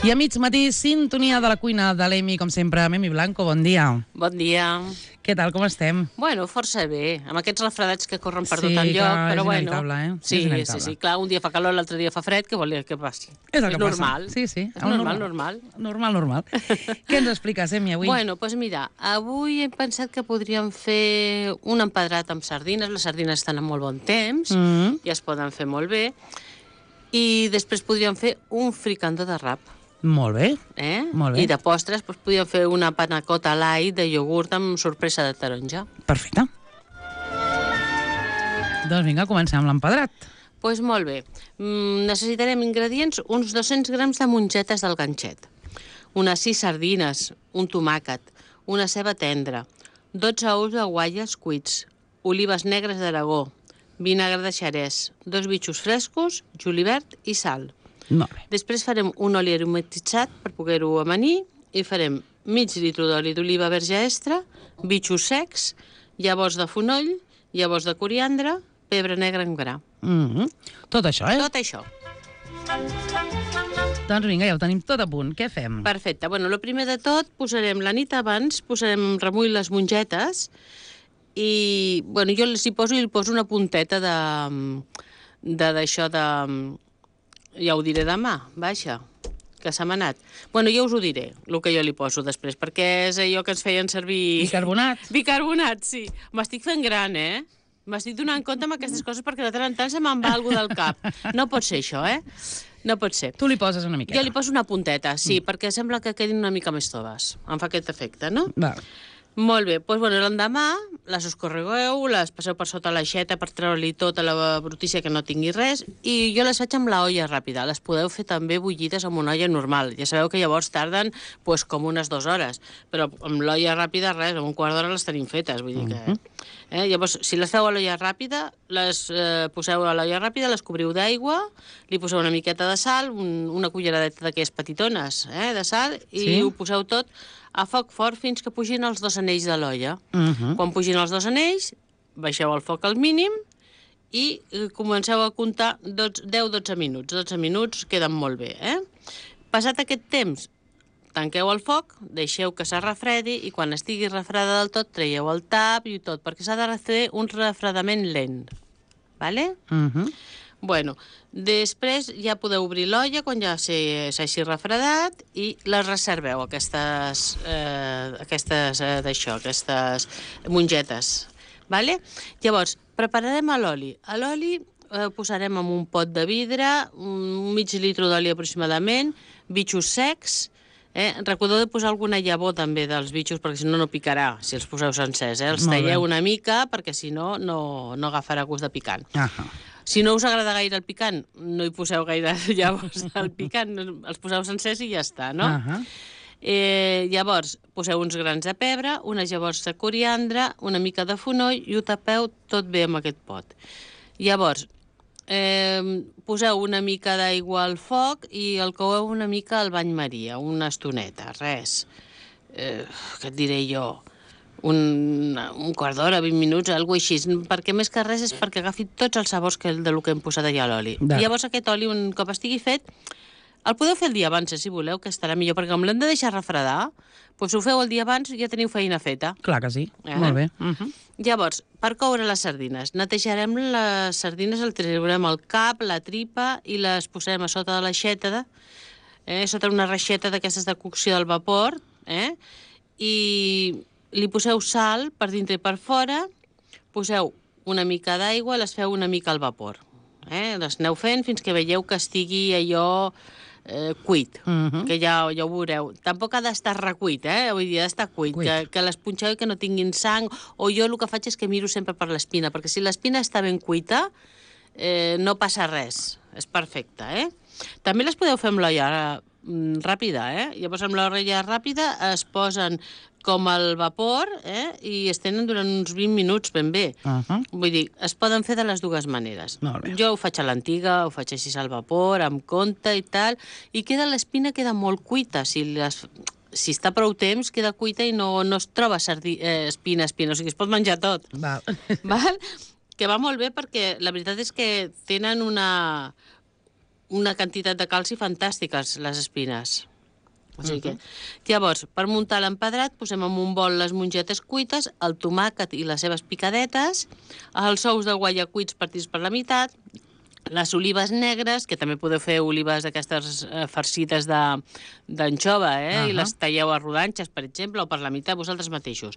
I a mig matí, sintonia de la cuina de l'Emi, com sempre. Memi Blanco, bon dia. Bon dia. Què tal, com estem? Bueno, força bé, amb aquests refredats que corren per tot Sí, el lloc, clar, però és bueno. inevitable, eh? Sí, És inevitable. sí, clar, un dia fa calor, l'altre dia fa fred, què volia que passi? És el que normal. passa. Sí, sí. És normal. Normal. Què ens expliques, Emi, avui? Bueno, doncs mira, avui he pensat que podríem fer un empedrat amb sardines. Les sardines estan en molt bon temps i es poden fer molt bé. I després podríem fer un fricandó de rap. Molt bé. Molt bé. I de postres podríem fer una panacota light de iogurt amb sorpresa de taronja. Perfecte. Doncs vinga, comencem amb l'empedrat. Doncs molt bé. Necessitarem ingredients, uns 200 grams de mongetes del ganxet, unes 6 sardines, un tomàquet, una ceba tendra, 12 ous de guatlles cuits, olives negres d'Aragó, vinagre de xerès, 2 bitxos frescos, julivert i sal. Molt bé. Després farem un oli aromatitzat per poder-ho amanir i farem mig litre d'oli d'oliva verge extra, bitxos secs, llavors de fonoll, llavors de coriandre, pebre negre en gra. Tot això, Tot això. Doncs vinga, ja ho tenim tot a punt. Què fem? Perfecte. Bueno, el primer de tot, posarem la nit abans, posarem remull les mongetes i, bueno, jo els hi poso una punteta d'això de... Ja ho diré demà, vaja, que s'ha manat. Bueno, ja us ho diré, el que jo li poso després, perquè és allò que ens feien servir... Bicarbonat. Bicarbonat, sí. M'estic fent gran, M'estic donant compte amb aquestes coses perquè de tant en tant se me'n va alguna del cap. No pot ser això, No pot ser. Tu li poses una miqueta. Jo li poso una punteta, sí, perquè sembla que quedin una mica més toves. Em fa aquest efecte, no? Va. Molt bé, doncs bueno, l'endemà les escorregueu, les passeu per sota l'aixeta per treure-li tota la brutícia que no tingui res i jo les faig amb la olla ràpida. Les podeu fer també bullides amb una olla normal. Ja sabeu que llavors tarden com unes 2 hores, però amb l'olla ràpida res, amb un quart d'hora les tenim fetes, vull dir que... Llavors, si les feu a l'olla ràpida, les poseu a l'olla ràpida, les cobriu d'aigua, li poseu una miqueta de sal, una culleradeta d'aquelles petitones de sal, i ho poseu tot a foc fort fins que pugin els 2 anells de l'olla. Quan pugin els 2 anells, baixeu el foc al mínim i comenceu a comptar 10-12 minuts. 12 minuts queden molt bé, Passat aquest temps, tanqueu el foc, deixeu que se refredi i quan estigui refreda del tot, traieu el tap i tot, perquè s'ha de fer un refredament lent. Vale? Bueno, després ja podeu obrir l'olla quan ja s'hagi refredat i les reserveu, aquestes mongetes. Vale? Llavors, prepararem l'oli. L'oli posarem en un pot de vidre, un mig litre d'oli aproximadament, bitxos secs. Recordeu de posar alguna llavor també dels bitxos perquè si no no picarà, si els poseu sencers. Els talleu una mica perquè si no no agafarà gust de picant. Si no us agrada gaire el picant, no hi poseu gaire llavors del picant, els poseu sencers i ja està, no? Llavors, poseu uns grans de pebre, unes llavors de coriandre, una mica de fonoll i ho tapeu tot bé amb aquest pot. Llavors, poseu una mica d'aigua al foc i el coeu una mica al bany Maria, una estoneta, res. Què et diré jo? Un quart d'hora, 20 minuts, alguna cosa així, perquè més que res és perquè agafi tots els sabors del que hem posat allà a l'oli. Llavors aquest oli, un cop estigui fet, el podeu fer el dia abans, si voleu, que estarà millor, perquè com l'hem de deixar refredar, doncs ho feu el dia abans i ja teniu feina feta. Clar que sí, molt bé. Llavors, per coure les sardines, netejarem les sardines, el treurem el cap, la tripa i les posem a sota de l'aixeta, sota una reixeta d'aquestes de cocció del vapor, i li poseu sal per dintre i per fora, poseu una mica d'aigua i les feu una mica al vapor. Les aneu fent fins que veieu que estigui allò cuit, que ja ho veureu. Tampoc ha d'estar recuit, vull dir, ha d'estar cuit, que les punxeu i que no tinguin sang, o jo el que faig és que miro sempre per l'espina, perquè si l'espina està ben cuita, no passa res, és perfecte, També les podeu fer amb l'olla ràpida, Llavors amb l'olla ràpida es posen com al vapor i es tenen durant uns 20 minuts ben bé. Vull dir, es poden fer de les dues maneres. Jo ho faig a l'antiga, ho faig així al vapor, amb compte i tal, i l'espina queda molt cuita. Si si està prou temps, queda cuita i no es troba espina, o sigui, es pot menjar tot. Val. Val? Que va molt bé perquè la veritat és que tenen una quantitat de calci fantàstiques, les espines. O sigui que, llavors, per muntar l'empedrat, posem en un bol les mongetes cuites, el tomàquet i les seves picadetes, els ous de guaia cuits partits per la meitat, les olives negres, que també podeu fer olives d'aquestes farcides d'anxova, i les talleu a rodanxes, per exemple, o per la meitat vosaltres mateixos.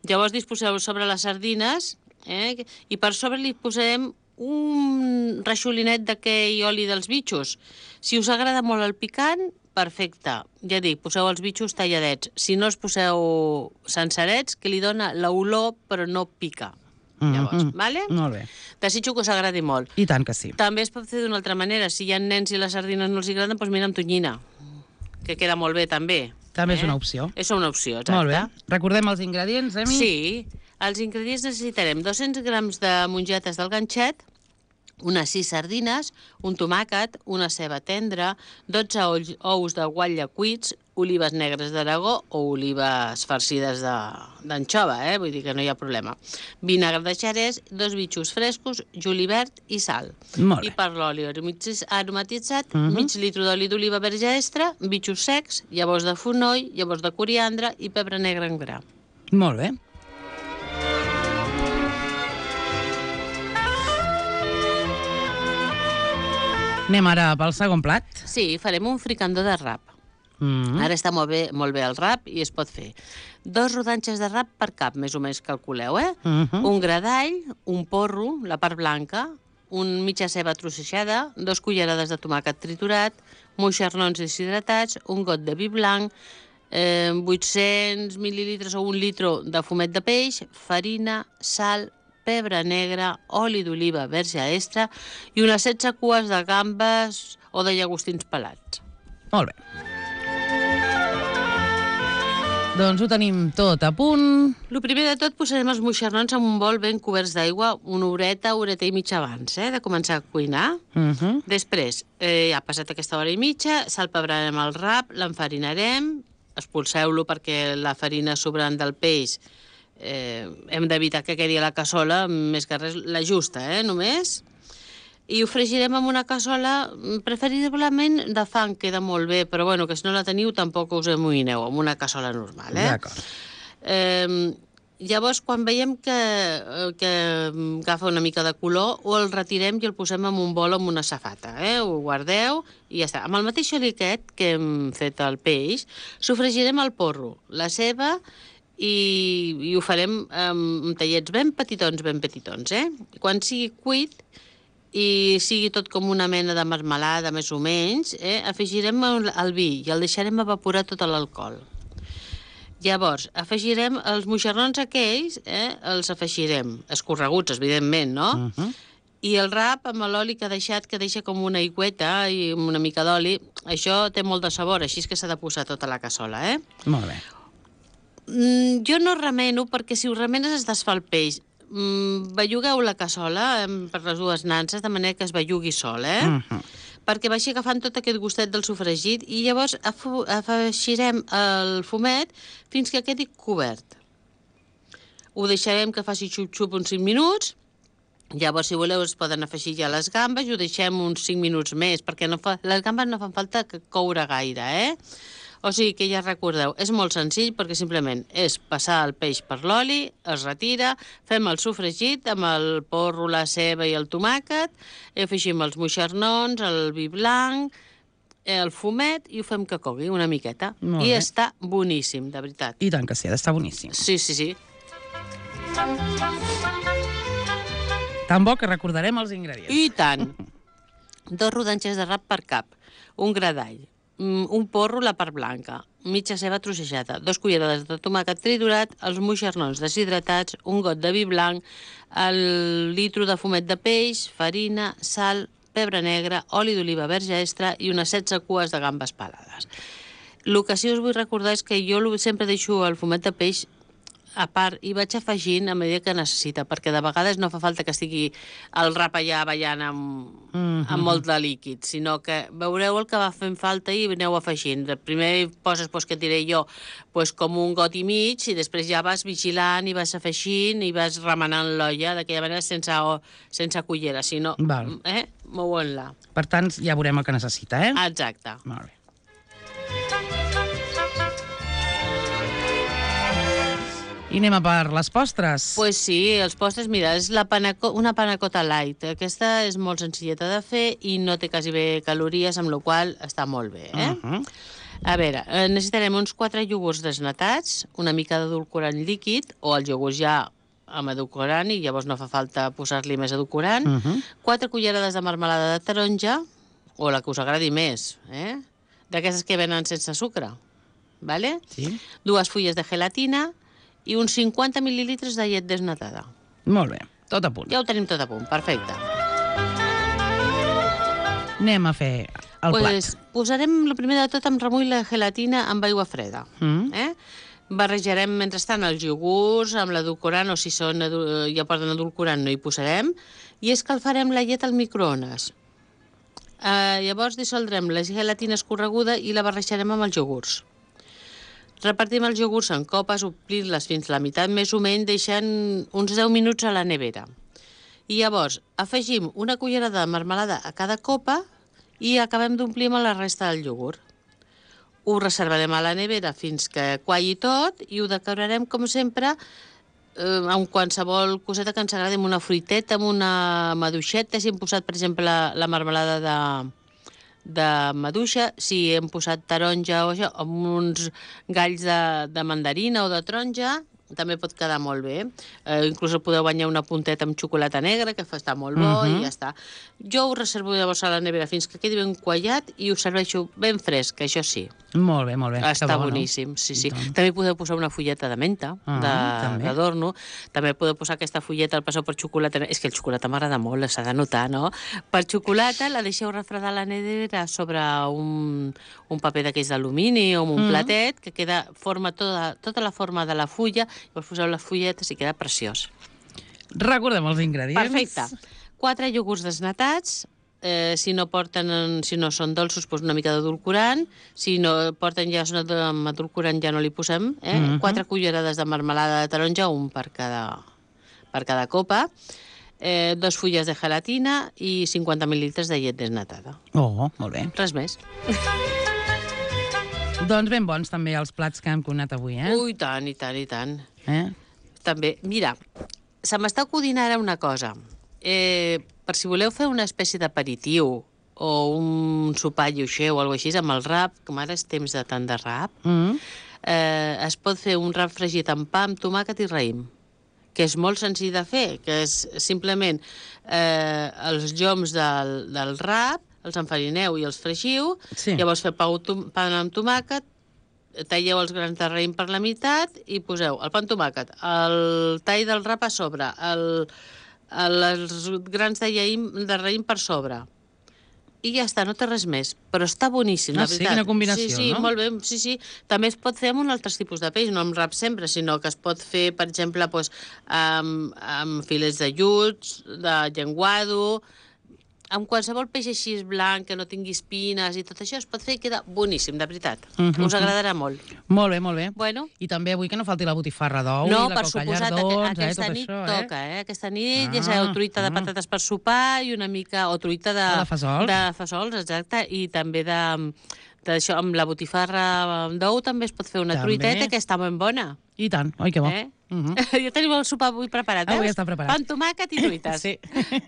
Llavors disposeu sobre les sardines, i per sobre li posarem un reixolinet d'aquell oli dels bitxos. Si us agrada molt el picant, perfecte. Ja dic, poseu els bitxos talladets. Si no els poseu sencerets, que li dona l'olor però no pica. Llavors, vale? Molt bé. Desitjo que us agradi molt. I tant que sí. També es pot fer d'una altra manera. Si hi ha nens i les sardines no els agraden, doncs mira amb tonyina, que queda molt bé també. També és una opció. És una opció, exacte. Molt bé. Recordem els ingredients, Emi? Sí. Els ingredients necessitarem 200 grams de mongetes del ganxet, unes 6 sardines, un tomàquet, una ceba tendra, 12 ous de guatlla cuits, olives negres d'Aragó o olives farcides d'anxova, vull dir que no hi ha problema. Vinagre de xerès, 2 bitxos frescos, julivert i sal. Molt bé. I per l'oli aromatitzat, mig litre d'oli d'oliva verge extra, bitxos secs, llavors de fonoll, llavors de coriandre i pebre negre en gra. Molt bé. Anem ara pel segon plat. Sí, farem un fricandó de rap. Ara està molt bé el rap i es pot fer 2 rodanxes de rap per cap, més o menys calculeu, un gra d'all, un porro, la part blanca, mitja ceba trossejada, 2 cullerades de tomàquet triturat, moixernons deshidratats, un got de vi blanc, 800 mil·lilitres o 1 litre de fumet de peix, farina, sal, pebre negre, oli d'oliva verge extra i unes 16 cues de gambes o de llagostins pelats. Molt bé. Doncs ho tenim tot a punt. El primer de tot posarem els moixernons en un bol ben coberts d'aigua una horeta i mitja abans de començar a cuinar. Després, ja ha passat aquesta hora i mitja, salpebrarem el rap, l'enfarinarem, expulseu-lo perquè la farina sobrant del peix hem d'evitar que quedi a la cassola, més que res la justa, només. I ho fregirem en una cassola, preferiblement de fang, queda molt bé, però bueno, que si no la teniu tampoc us amoïneu, en una cassola normal. D'acord. Llavors, quan veiem que agafa una mica de color, o el retirem i el posem en un bol amb una safata. Ho guardeu i ja està. Amb el mateix oli aquest que hem fet el peix, sofregirem el porro, la ceba, i ho farem amb tallets ben petitons. Quan sigui cuit i sigui tot com una mena de marmelada, més o menys, afegirem el vi i el deixarem evaporar tot l'alcohol. Llavors, afegirem els moixernons aquells, els afegirem, escorreguts, evidentment, no? I el rap amb l'oli que ha deixat, que deixa com una aigüeta i una mica d'oli, això té molt de sabor, així és que s'ha de posar tota la cassola, Molt bé. Jo no remeno, perquè si ho remenes es desfà el peix. Bellugueu la cassola per les dues nanses, de manera que es bellugui sol, perquè vagi agafant tot aquest gustet del sofregit i llavors afegirem el fumet fins que quedi cobert. Ho deixarem que faci xup-xup uns 5 minuts, llavors, si voleu, es poden afegir ja les gambes i ho deixem uns 5 minuts més, perquè les gambes no fan falta coure gaire, O sigui que ja recordeu, és molt senzill perquè simplement és passar el peix per l'oli, es retira, fem el sofregit amb el porro, la ceba i el tomàquet, afegim els moixernons, el vi blanc, el fumet i ho fem que cogui una miqueta. I està boníssim, de veritat. I tant que sí, ha d'estar boníssim. Sí. Tan bo que recordarem els ingredients. I tant. 2 rodanxes de rap per cap, un gra d'all, un porro, la part blanca, mitja ceba trossejada, 2 cullerades de tomàquet triturat, els moixernons deshidratats, un got de vi blanc, el litre de fumet de peix, farina, sal, pebre negre, oli d'oliva verge extra i unes 16 cues de gambes pelades. El que sí us vull recordar és que jo sempre deixo el fumet de peix a part, hi vaig afegint a mesura que necessita, perquè de vegades no fa falta que estigui el rap allà ballant amb molt de líquid, sinó que veureu el que va fent falta i aneu afegint. Primer poses, que et diré jo, com un got i mig, i després ja vas vigilant i vas afegint i vas remenant l'olla d'aquella manera sense cullera, sinó mouen-la. Per tant, ja veurem el que necessita, eh? Exacte. Molt bé. I anem a per les postres. Pues sí, els postres, mira, és una panacota light. Aquesta és molt senzilleta de fer i no té quasi bé calories, amb la qual està molt bé, eh? A veure, necessitarem uns 4 iogurts desnatats, una mica d'edulcorant líquid, o el iogurt ja amb edulcorant, i llavors no fa falta posar-li més edulcorant, 4 cullerades de marmelada de taronja, o la que us agradi més, d'aquestes que venen sense sucre, vale? Sí. 2 fulles de gelatina, i uns 50 mil·lilitres de llet desnatada. Molt bé, tot a punt. Ja ho tenim tot a punt, perfecte. Anem a fer el plat. Posarem, el primer de tot, amb remull la gelatina amb aigua freda. Barrejarem, mentrestant, els iogurts amb l'edulcorant, o si ja porten edulcorant no hi posarem, i escalfarem la llet al microones. Llavors dissoldrem la gelatina escorreguda i la barrejarem amb els iogurts. Repartim els iogurts en copes, omplint-les fins a la meitat més o menys, deixant uns 10 minuts a la nevera. I llavors afegim una cullerada de marmelada a cada copa i acabem d'omplir amb la resta del iogurt. Ho reservarem a la nevera fins que qualli tot i ho decorarem, com sempre, amb qualsevol coseta que ens agradi, amb una fruiteta, amb una maduixeta. Si hem posat, per exemple, la marmelada de maduixa, si hem posat taronja o això, amb uns galls de mandarina o de taronja, també pot quedar molt bé. Inclús el podeu banyar una punteta amb xocolata negra, que està molt bo, i ja està. Jo ho reservo llavors a la nevera fins que quedi ben quallat i ho serveixo ben fresc, això sí. Molt bé, molt bé. Està boníssim, sí. També podeu posar una fulleta de menta, d'adorno. També podeu posar aquesta fulleta al passeu per xocolata. És que el xocolata m'agrada molt, s'ha de notar, no? Per xocolata la deixeu refredar a la nevera sobre un paper d'aquells d'alumini o un platet, que forma tota la forma de la fulla. Llavors poseu les fulletes i queda preciós. Recordem els ingredients. Perfecte. 4 iogurts desnatats. Si no són dolços, doncs una mica d'edulcorant. Si no porten ja amb edulcorant, ja no li posem. 4 cullerades de marmelada de taronja, un per cada copa. 2 fulles de gelatina i 50 mil·lilitres de llet desnatada. Oh, molt bé. Res més. Doncs ben bons també els plats que hem cuinat avui, eh? Ui, tant, i tant, i tant. També, mira, se m'està acudint ara una cosa. Per si voleu fer una espècie d'aperitiu o un sopar lleuger o alguna cosa així, amb el rap, com ara és temps de tant de rap, es pot fer un rap fregit amb pa, amb tomàquet i raïm, que és molt senzill de fer, que és simplement els lloms del rap, els enfarineu i els fregiu, llavors feu pa amb tomàquet, talleu els grans de raïm per la meitat i poseu el pa amb tomàquet, el tall del rap a sobre, els grans de raïm per sobre. I ja està, no té res més. Però està boníssim, la veritat. Sí, quina combinació, no? Sí, molt bé, sí. També es pot fer amb un altre tipus de peix, no amb rap sempre, sinó que es pot fer, per exemple, amb filets de lluç, de llenguado, amb qualsevol peix així blanc, que no tingui espines i tot això, es pot fer i queda boníssim, de veritat. Us agradarà molt. Molt bé, molt bé. Bueno. I també avui que no falti la botifarra d'ou, no, i la coca llardons, aquesta nit toca, aquesta nit, ja sabeu, truita de patates per sopar i una mica, o truita de fesols. De fesols, exacte, i també d'això, amb la botifarra d'ou també es pot fer una truiteta que està ben bona. I tant, oi que bo. Ja tenim el sopar avui preparat, Avui està preparat. Pa amb tomàquet i truites. Sí.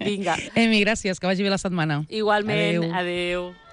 Vinga. Emi, gràcies, que vagi bé la setmana. Igualment, adéu.